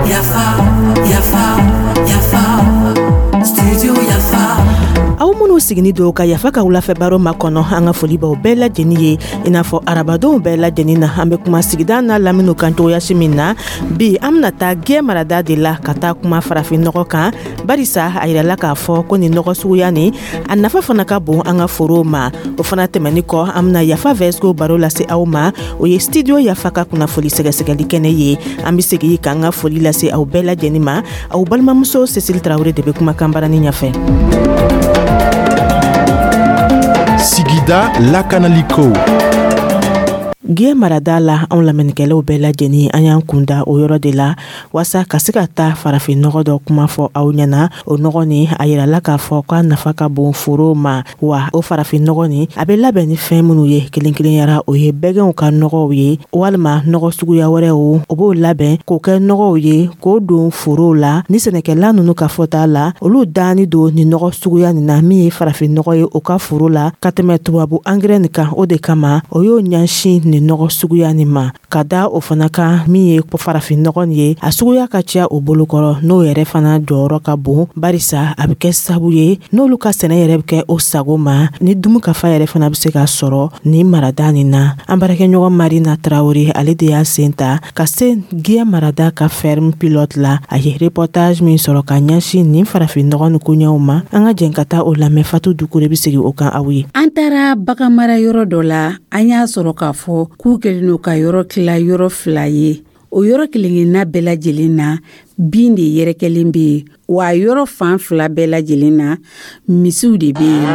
Yafa, yafa, yafa, studio Yafa. Aw minnu sigini don ka Yafa ka wulafɛ baro makɔnɔ, an ka foli b'aw bɛɛ lajɛlen ye. I n'a fɔ arabadonw bɛɛ lajɛlen na, an bɛ kuma sigida n'a laminiw kan cogoyasi min na, bi an bɛna taa Gɛ marada de la ka taa kuma farafin nɔgɔ kan, barisa a yirala k'a fɔ ko nin nɔgɔ suguya nin, a nafa fana ka bon an ka forow ma. O fana tɛmɛni kɔ, an bɛna Yafa Vɛsiko baro lase aw ma. O ye Studio Yafa ka kunnafoli sɛgɛsɛgɛli kɛnɛ ye. An bɛ segin k'an ka foli lase aw bɛɛ lajɛlen ma. Aw balimamuso Cécile Tarawele de bɛ kumakan barani ɲɛfɛ. Sigida lakanaliko. Gɛ marada la, anw lamɛnnikɛlaw bɛɛ lajɛlen, an y'an kunda o yɔrɔ de la waasa ka se ka taa farafin nɔgɔ dɔ kuma fɔ aw ɲɛna. O nɔgɔ nin, a yirala k'a fɔ k'a nafa ka bon forow ma. Wa o farafin nɔgɔ nin, a bɛ labɛn ni fɛn minnu ye kelen kelenyara, o ye bɛgɛnw ka nɔgɔw ye walima nɔgɔ suguya wɛrɛw. O b'o labɛn k'o kɛ nɔgɔw ye k'o don forow la. Ni sɛnɛkɛla ninnu ka fɔta la, olu danni don nin nɔgɔ suguya nin na, min ye farafin nɔgɔ ye, o ka foro la ka tɛmɛ tubabu angɛrɛ nin kan. O de kama o y'o ɲɛsin nin nɔgɔ suguya nin ma. Ka da o fana kan, min ye farafin nɔgɔ nin ye, a suguya ka ca o bolokɔrɔ, n'o yɛrɛ fana jɔyɔrɔ ka bon, barisa a bɛ kɛ sabu ye n'olu ka sɛnɛ yɛrɛ bɛ kɛ o sago ma, ni dunkafa yɛrɛ fana bɛ se ka sɔrɔ nin marada nin na. An baarakɛɲɔgɔn Marina Tarawele, ale de y'a sen ta ka se Gɛ marada ka ferme pilote la. A ye reportage min sɔrɔ ka ɲɛsin nin farafin nɔgɔ ni koɲɛw ma, an ka jɛn ka taa o lamɛn. Fatu Dukure bɛ segin o kan aw ye. An taara baganmara yɔrɔ dɔ la, an y'a sɔrɔ k'a fɔ k'u kɛlen don ka yɔrɔ tila yɔrɔ fila ye. O yɔrɔ kelenkelenna bɛɛ lajɛlen na, bin de yɛrɛkɛlen bɛ yen, wa yɔrɔ fan fila bɛɛ lajɛlen na, misiw de bɛ yen.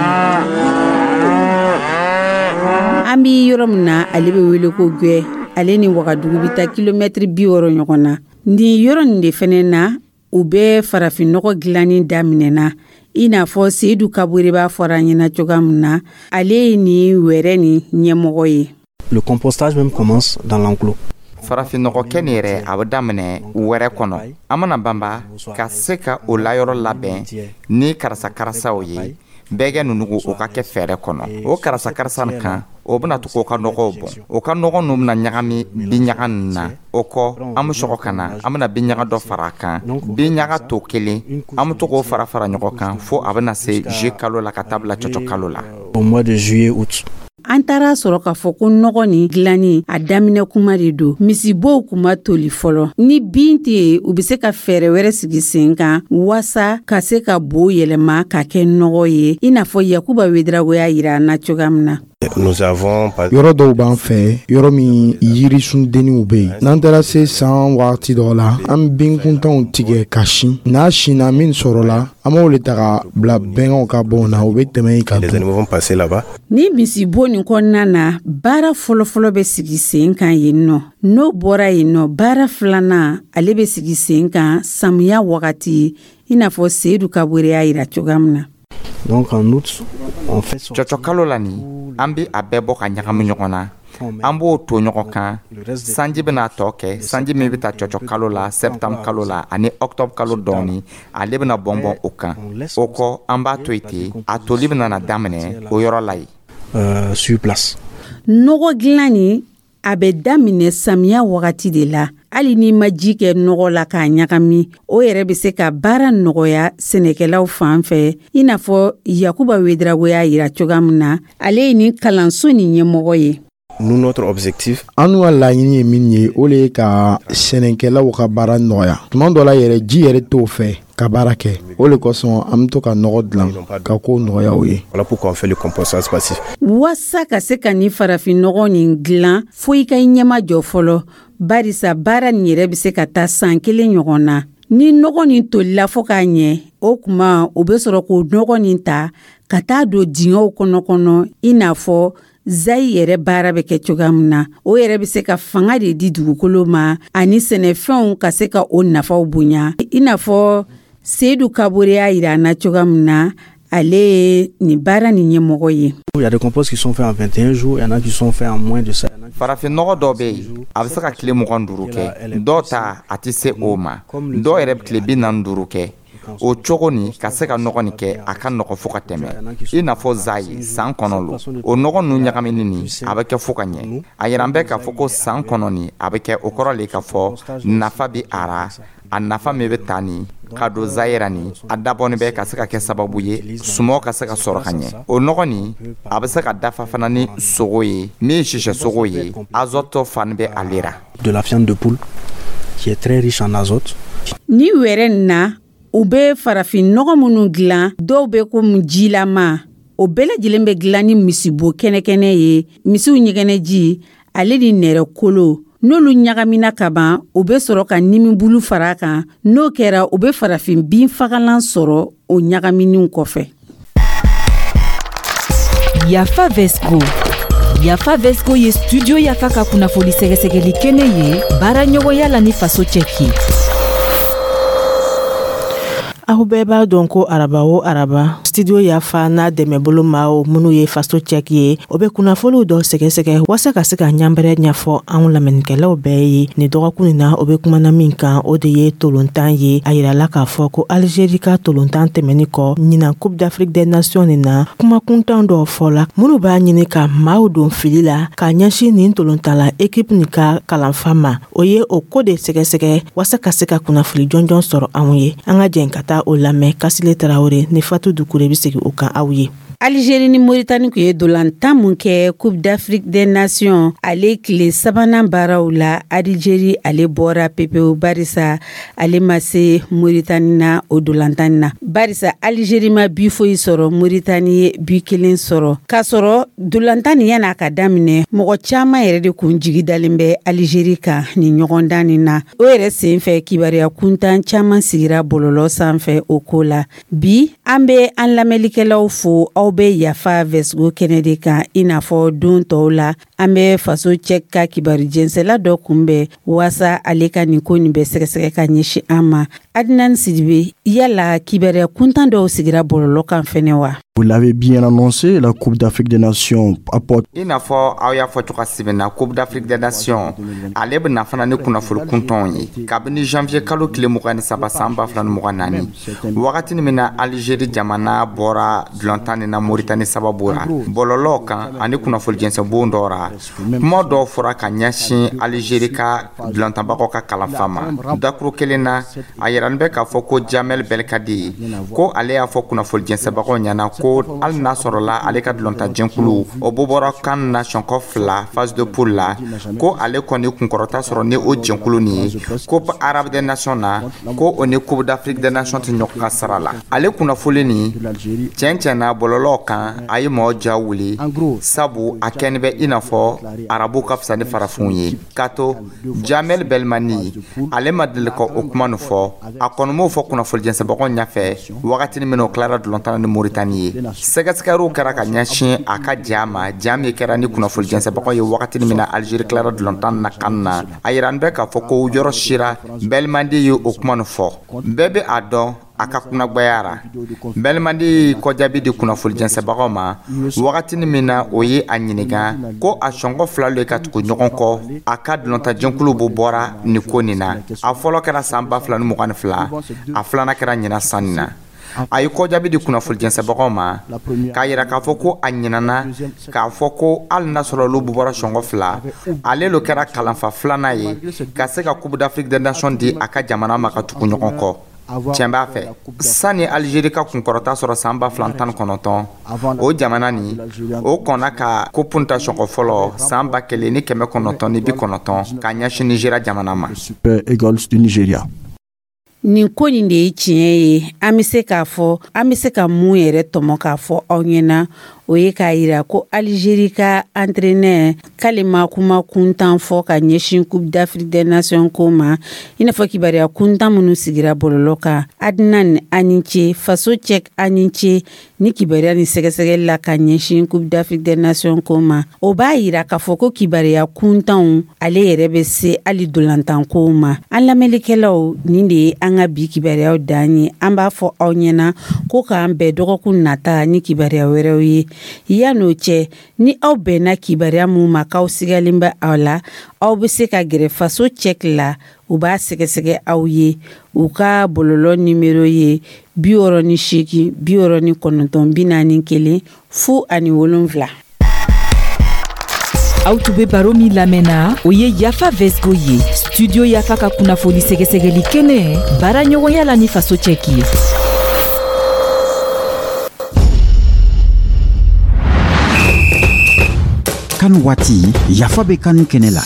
An bɛ yɔrɔ min na, ale bɛ wele ko Gwɛ. Ale ni Wagadugu bɛ taa kilomɛtiri 60 ɲɔgɔn na. Nin yɔrɔ nin de fɛnɛ na, u bɛ farafinnɔgɔ dilanni daminɛna, i n'a fɔ Seyidu Kabure b'a fɔra an ɲɛna cogoya min na. Ale ye nin wɛrɛ nin ɲɛmɔgɔ ye. Le compostage même commence dans l'enclos. Farafinnɔgɔkɛ nin yɛrɛ, a bɛ daminɛ wɛrɛ kɔnɔ. An mana banba ka se ka o layɔrɔ labɛn ni karasa karasaw ye, bɛɛgɛ nunugu, o ka kɛ fɛɛrɛ kɔnɔ. O karasa karasa nin kan, o bɛna to k'o ka nɔgɔw bɔn. O ka nɔgɔ ninnu bɛna ɲagami binɲaga nin na. O kɔ, an bɛ sɔgɔ ka na, an bɛna binɲaga dɔ fara a kan, binɲaga to kelen. An bɛ to k'o fara fara ɲɔgɔn kan fo a bɛna se juillet kalo la ka taa bila cɔcɔ kalo la. Au mois de juillet, août. An taara sɔrɔ k'a fɔ ko nɔgɔ nin dilanni, a daminɛ kuma de don. Misibow kun ma toli fɔlɔ. Ni bin tɛ yen, u bɛ se ka fɛɛrɛ wɛrɛ sigi sen kan waasa ka se ka bo yɛlɛma ka kɛ nɔgɔ ye, i n'a fɔ Yakuba Wedirago y'a yira an na cogoya min na. Yɔrɔ dɔw b'an fɛ, yɔrɔ min yirisundenninw bɛ yen. N'an taara se san wagati dɔ la, an binkuntanw tigɛ ka sin. N'a sinna, min sɔrɔla, an b'o de ta ka bila bɛnkanw ka bɔn na, u bɛ tɛmɛ yen ka dun. Ni misibo nin kɔnɔna na, baara fɔlɔfɔlɔ bɛ sigi sen kan yen nɔ. N'o bɔra yen nɔ, baara filanan, ale bɛ sigi sen kan samiya wagati, i n'a fɔ Seyidu Kabure y'a yira cogoya min na. Donc en août, on fait son Cɔcɔ kalo la nin, an bɛ a bɛɛ bɔ ka ɲagami ɲɔgɔn na, an b'o to ɲɔgɔn kan. Sanji bɛna tɔ kɛ, sanji min bɛ taa cɔcɔ kalo la, septembre kalo la ani octobre kalo dɔɔni, ale bɛna bɔnbɔn o kan. O kɔ, an b'a to yen ten, a toli bɛna na daminɛ o yɔrɔ la yen. Sur place. Nɔgɔ dilan nin, a bɛ daminɛ samiya wagati de la. Hali n'i ma ji kɛ nɔgɔ la k'a ɲagami, o yɛrɛ bɛ se ka baara nɔgɔya sɛnɛkɛlaw fan fɛ, i n'a fɔ Yakuba Wedirago y'a yira cogoya min na. Ale ye nin kalanso nin ɲɛmɔgɔ ye. Nous, notre objectif, An ka laɲini ye min ye, o de ye ka sɛnɛkɛlaw ka baara nɔgɔya. Tuma dɔ la yɛrɛ, ji yɛrɛ t'o fɛ ka baara kɛ. O de kosɔn an bɛ to ka nɔgɔ dilan ka ko nɔgɔya o ye. Voilà pourquoi on fait le compostage passif. Waasa ka se ka nin farafinnɔgɔ nin dilan, fo i ka i ɲɛma jɔ fɔlɔ, barisa baara nin yɛrɛ bɛ se ka taa san kelen ɲɔgɔn na. Ni nɔgɔ nin tolila fɔ k'a ɲɛ, o kuma u bɛ sɔrɔ k'o nɔgɔ nin ta ka taa don dingɛw kɔnɔ, i n'a fɔ zayi yɛrɛ baara bɛ kɛ cogoya min na. O yɛrɛ bɛ se ka fanga de di dugukolo ma ani sɛnɛfɛnw ka se ka o nafaw bonya, i n'a fɔ Seyidu Kabore y'a yira an na cogoya min na. Ale ye nin baara nin ɲɛmɔgɔ ye. Il y a des composts qui sont faits en 21 jours, il y en a qui sont faits en moins de ça. Farafinnɔgɔ dɔw bɛ yen, a bɛ se ka tile 25 kɛ. Dɔw ta, a tɛ se o ma. Dɔw yɛrɛ bɛ tile 45 kɛ. O cogo nin ka se ka nɔgɔ nin kɛ, a ka nɔgɔ fo ka tɛmɛ, i n'a fɔ zayi san kɔnɔ lo. O nɔgɔ ninnu ɲagamini nin, a bɛ kɛ fo ka ɲɛ. A yira bɛ k'a fɔ ko san kɔnɔ nin a bɛ kɛ, o kɔrɔ le k'a fɔ nafa bɛ a ra. A nafa min bɛ ta nin ka don zayira nin, a dabɔnin bɛ ka se ka kɛ sababu ye sumaw ka se ka sɔrɔ ka ɲɛ. O nɔgɔ nin, a bɛ se ka dafa fana ni sogo ye, min ye sisɛ sogo ye, azote fani bɛ ale ra. De la viande de poule qui est très riche en azote. Ni wɛrɛ nin na, u bɛ farafin nɔgɔ minnu dilan, dɔw bɛ komi jilama. O bɛɛ lajɛlen bɛ dilan ni misibo kɛnɛkɛnɛ ye, misiw ɲɛgɛnɛji ale ni nɛrɛ kolo. N'olu ɲagamina ka ban, u bɛ sɔrɔ ka nimibulu fara a kan. N'o kɛra, u bɛ farafin bin fagalan sɔrɔ o ɲagaminiw kɔfɛ. Yafa Vesco. Yafa Vesco ye Studio Yafa ka kunnafoni sɛgɛsɛgɛli kɛnɛ ye, baara ɲɔgɔnya la ni Faso Cɛki. Aw bɛɛ b'a dɔn ko araba o araba, Studio Yafa n'a dɛmɛbolo maaw minnu ye Faso Cɛki ye, o bɛ kunnafoniw dɔ sɛgɛsɛgɛ waasa ka se ka ɲanbɛrɛ ɲɛfɔ anw lamɛnnikɛlaw bɛɛ ye. Nin dɔgɔkun nin na, o bɛ kumana min kan, o de ye tolontan ye. A yirala k'a fɔ ko Algérie ka tolontan tɛmɛni kɔ ɲinan Coupe d'Afrique des Nations nin na, kumakuntan dɔw fɔla minnu b'a ɲini ka maaw don fili la ka ɲɛsin nin tolontan la équipe nin ka kalanfa ma. O ye o ko de sɛgɛsɛgɛ waasa ka se ka kunnafoni jɔnjɔn sɔrɔ anw ye. An ka jɛn ka taa o lamɛn. Kasile Tarawele ni Fatu Dukure bɛ segin o kan aw ye. Algérie ni Mauritanie tun ye dolantan mun kɛ Coupe d'Afrique des Nations ale tile sabanan baaraw la, Algérie ale bɔra pepewu, barisa ale ma se Mauritanie na o dolantan na, barisa Algérie ma bi foyi sɔrɔ, Mauritanie ye bi kelen sɔrɔ. K'a sɔrɔ dolantan nin yan'a ka daminɛ, mɔgɔ caman yɛrɛ de kun jigi dalen bɛ Algérie kan nin ɲɔgɔndan nin na. O yɛrɛ senfɛ, kibaruya kuntan caman sigira bɔlɔlɔ sanfɛ o ko la. Bi, an bɛ an lamɛnlikɛlaw fo. Aw bɛ Yafa Vɛsgo kɛnɛ de kan. I n'a fɔ don tɔw la, an bɛ Faso Cɛ ka kibaru jɛnsɛla dɔ kunbɛn waasa ale ka nin ko nin bɛ sɛgɛsɛgɛ ka ɲɛsin an ma. Adnan Sidibe, yala kibaruya kuntan dɔw sigira bɔlɔlɔ kan fɛnɛ wa? Vous l'avez bien annoncé, la Coupe d'Afrique des Nations apporte. I n'a fɔ aw y'a fɔ cogo min na, Coupe d'Afrique des Nations ale bɛ na fana ni kunnafoni kuntanw ye. Kabini janvier kalo tile 23 san 2024, wagati min na Algérie jamana bɔra dulontan nin na Mauritanie sababu ra, bɔlɔlɔw kan ani kunnafoni jɛnsɛnbon dɔw ra, kuma dɔw fɔra ka ɲɛsin Algérie ka dulontanbagaw ka kalanfa ma. Dakuru kelen na, a yirani bɛ k'a fɔ ko Jamel Belkadi ko ale y'a fɔ kunnafoni jɛnsɛnbagaw ɲɛna ko hali n'a sɔrɔla ale ka dulontanjɛkulu o bɔra kan na sɔnkɔ fila phase de poule la, ko ale kɔni kunkɔrɔta sɔrɔ ni o jɛnkulu nin ye Coupe arabe des Nations na, ko o ni Coupe d'Afrique des Nations tɛ ɲɔgɔn ka sara la. Ale kunnafoli nin tiɲɛ tiɲɛ na bɔlɔlɔw kan, a ye mɔgɔ ja wuli, sabu a kɛni bɛ i n'a fɔ arabuw ka fisa ni farafinw ye, k'a to Jamel Belmani ale ma deli ka o kuma nin fɔ. A kɔni m'o fɔ kunnafoni jɛnsɛnbagaw ɲɛfɛ wagati min na o tilara dulontan ni Mauritanie ye. Sɛgɛsɛgɛliw kɛra ka ɲɛsin a ka ja ma, ja min kɛra ni kunnafoni jɛnsɛnbagaw ye wagati min na Algérie tilara dulontan na kan na. A yira bɛ k'a fɔ ko yɔrɔ sira Belmadi ye o kuma nin fɔ, bɛɛ bɛ a dɔn a ka kunnagbayara. Belmadi ye kɔjaabi di kunnafoni jɛnsɛnbagaw ma wagati min na o ye a ɲininka ko a sɔngɔ fila le ka tugu ɲɔgɔn kɔ, a ka dulontanjɛkulu bɔ bɔra nin ko nin na. A fɔlɔ kɛra san 2022, a filanan kɛra ɲinan san nin na. A ye kɔjaabi di kunnafoni jɛnsɛnbagaw ma k'a yira k'a fɔ ko a ɲinana k'a fɔ ko hali n'a sɔrɔ olu bɔra sɔngɔ fila, ale lo kɛra kalanfa filanan ye ka se ka Coupe d'Afrique des Nations di a ka jamana ma ka tugu ɲɔgɔn kɔ. Tiɲɛ b'a fɛ, sani Algérie ka kunkɔrɔta sɔrɔ san 2019, o jamana nin o kɔnna ka coupe ta sɔngɔ fɔlɔ san 1990 ka ɲɛsin Nigéria jamana ma. Super Eagles du Nigeria. Nin ko nin de ye tiɲɛ ye. An bɛ se k'a fɔ, an bɛ se ka mun yɛrɛ tɔmɔ k'a fɔ aw ɲɛna, o ye k'a yira ko Algérie ka entraîneur k'ale ma kuma kuntan fɔ ka ɲɛsin Coupe d'Afrique des Nations ko ma, i n'a fɔ kibaruya kuntan minnu sigira bɔlɔlɔ kan. Adnan, ani ce. Faso Cɛ, ani ce. Ni kibaruya ni sɛgɛsɛgɛli la ka ɲɛsin Coupe d'Afrique des Nations ko ma, o b'a yira k'a fɔ ko kibaruya kuntanw ale yɛrɛ bɛ se hali dolantankow ma. An lamɛnlikɛlaw, nin de ye an an ka bi kibaruyaw dan ye. An b'a fɔ aw ɲɛna ko k'an bɛn dɔgɔkun nata ni kibaruya wɛrɛw ye. Yan'o cɛ, ni aw bɛnna kibaruya mun ma k'aw sigalen bɛ aw la, aw bɛ se ka gɛrɛ Faso Cɛki la, u b'a sɛgɛsɛgɛ aw ye. U ka bɔlɔlɔ nimero ye 68 69 41 07. Aw tun bɛ baro min lamɛnna, o ye Yafa Vesgo ye, Studio Yafa ka kunnafoni sɛgɛsɛgɛli kɛnɛ, baara ɲɔgɔnya la ni Faso Cɛki ye. CAN waati, Yafa bɛ CAN kɛnɛ la.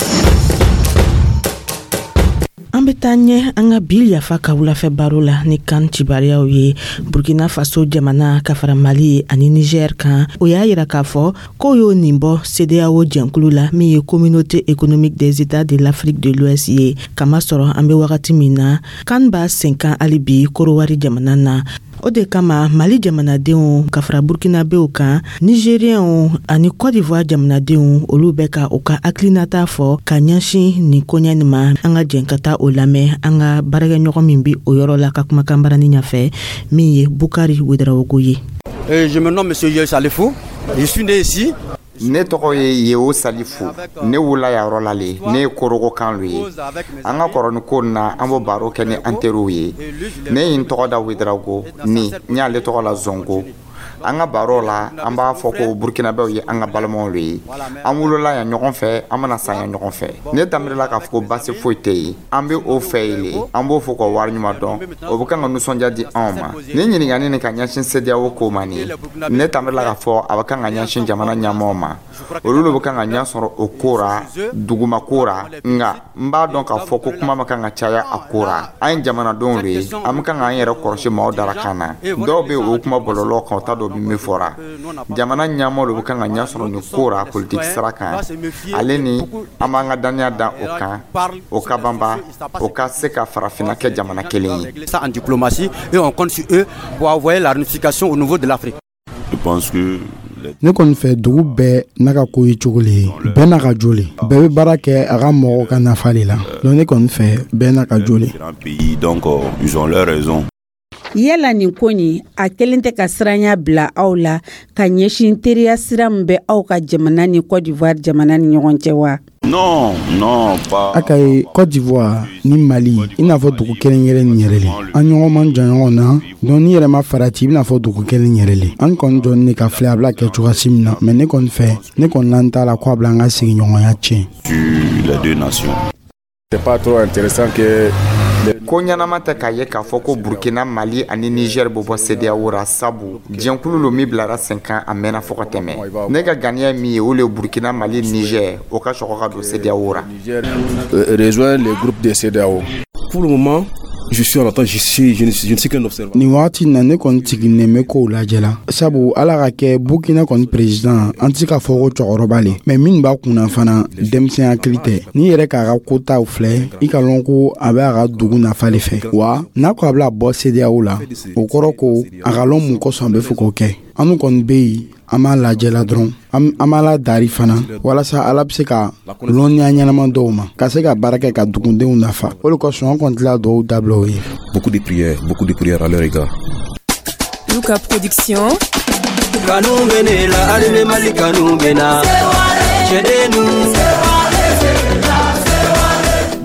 An bɛ taa ɲɛ an ka bi Yafa ka wulafɛ baro la ni CAN cibariyaw ye. Burkina Faso jamana ka fara Mali ani Niger kan, o y'a yira k'a fɔ k'o y'o nin bɔ CEDEAO jɛnkulu la, min ye Communauté économique des États de l'Afrique de l'Ouest ye. Kamasɔrɔ an bɛ wagati min na, CAN b'a sen kan hali bi Korowari jamana na. O de kama Mali jamanadenw ka fara Burkinabew kan, Nigérienw ani Côte d'Ivoire jamanadenw, olu bɛ ka u ka hakilinata fɔ ka ɲɛsin nin koɲɛ nin ma. An ka jɛn ka taa o lamɛn an ka baarakɛɲɔgɔn min bi o yɔrɔ la ka kumakan barani ɲɛfɛ, min ye Bukari Wedarawogo ye. Je me nomme Monsieur Yeo Salifou. Je suis né ici. Ne tɔgɔ ye Yeo Salifu. Ne wulila yan yɔrɔ la le. Ne ye Korogo kan lo ye. An ka kɔrɔ ni ko na, an b'o baro kɛ ni an teriw ye. Ne ye n tɔgɔ da Wedarago ni n y'ale tɔgɔ la Zongo. An ka baro la, an b'a fɔ ko Burkinabɛw ye an ka balimaw le ye. An wolola yan ɲɔgɔn fɛ, an bɛna sa yan ɲɔgɔn fɛ. Ne daminɛla k'a fɔ ko basi foyi tɛ yen. An bɛ o fɛ yen le, an b'o fɔ ka wari ɲuman dɔn. O bɛ kan ka nisɔndiya di anw ma. Ni ɲininkali nin ka ɲɛsin CEDEAO ko ma nin, ne daminɛla k'a fɔ a bɛ kan ka ɲɛsin jamana ɲɛmaaw ma. Olu de bɛ kan ka ɲɛ sɔrɔ o ko ra, duguma ko ra. Nka n b'a dɔn k'a fɔ ko kuma ma kan ka caya a ko ra. An ye jamanadenw de ye, an bɛ kan k'an yɛrɛ kɔlɔsi maaw darakan na. Dɔw bɛ yen, o kuma bɔlɔlɔ kan, o t'a dɔn min fɔra. Jamana ɲɛmaaw de bɛ kan ka ɲɛ sɔrɔ nin ko ra politiki sira kan. Ale ni an b'an ka dannaya da o kan, o ka banba, o ka se ka farafinna kɛ jamana kelen ye. Ça en diplomatie, et on compte sur eux pour envoyer la réunification au niveau de l'Afrique. Je pense que Ne kɔni fɛ, dugu bɛɛ n'a ka ko ye cogo le ye, bɛɛ n'a ka jo le, bɛɛ bɛ baara kɛ a ka mɔgɔw ka nafa de la. Donc ne kɔni fɛ, bɛɛ n'a ka jo le. Pays, donc ils ont leur raison. Yala nin ko nin, a kelen tɛ ka siranya bila aw la ka ɲɛsin teriya sira min bɛ aw ka jamana ni Côte d'Ivoire jamana ni ɲɔgɔn cɛ wa? Non, non, pas. A ka ye Côte d'Ivoire ni Mali, i n'a fɔ dugu kelen kelen nin yɛrɛ le, an ɲɔgɔn man jan ɲɔgɔn na. Donc n'i yɛrɛ ma farati, i bɛna fɔ dugu kelen yɛrɛ le. An kɔni jɔni de ka filɛ a bɛna kɛ cogoya min na. Mais ne kɔni fɛ, ne kɔni nan t'a la ko a bila an ka sigiɲɔgɔnya tiɲɛ. Sur les deux nations. C'est pas trop intéressant que Ko ɲɛnama tɛ k'a ye k'a fɔ ko Burkina, Mali ani Niger bɛ bɔ CEDEAO ra, sabu jɛnkulu lo min bilara sen kan, a mɛnna fo ka tɛmɛ. Ne ka ganiya min ye, o le ye Burkina, Mali, Niger, o ka sɔgɔ ka don CEDEAO ra. Rejoint le groupe de CEDEAO. Pour le moment, je suis en attente, je ne suis qu'un observateur. Nin wagati na, ne kɔni sigilen bɛ kow lajɛ la, sabu Ala ka kɛ Burkina kɔni président, an tɛ se k'a fɔ ko cɛkɔrɔba le, mais min b'a kunna fana, denmisɛn hakili tɛ. N'i yɛrɛ k'a ka kotaw filɛ, i ka lɔn ko a bɛ a ka dugu nafa le fɛ wa. N'a ko a bɛna bɔ CEDEAO la, o kɔrɔ ko a ka lɔn mun kosɔn a bɛ fɛ k'o kɛ. An kɔni bɛ yen, an b'a lajɛ la dɔrɔn, an b'a la dari fana, walasa Ala bɛ se ka lɔnniya ɲɛnama dɔw ma ka se ka baara kɛ ka dugudenw nafa. O de kosɔn an kɔni tila dɔw dabila o ye. Beaucoup de prières, beaucoup de prières à leur égard. Luka Production. Kanu bɛ ne la, hali ni Mali kanu bɛ na. Cɛdennu.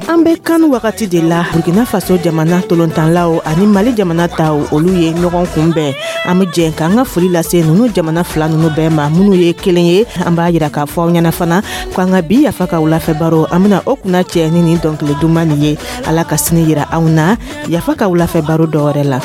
An bɛ CAN wagati de la, Burkina Faso jamana tolontanlaw ani Mali jamana taw, olu ye ɲɔgɔn kunbɛn. An bɛ jɛ k'an ka foli lase ninnu jamana fila ninnu bɛɛ ma, minnu ye kelen ye. An b'a yira k'a fɔ aw ɲɛna fana ko an ka bi Yafa ka wulafɛ baro, an bɛna o kunna cɛ ni nin dɔnkili duman nin ye. Ala ka sini yira anw na Yafa ka wulafɛ baro dɔwɛrɛ la.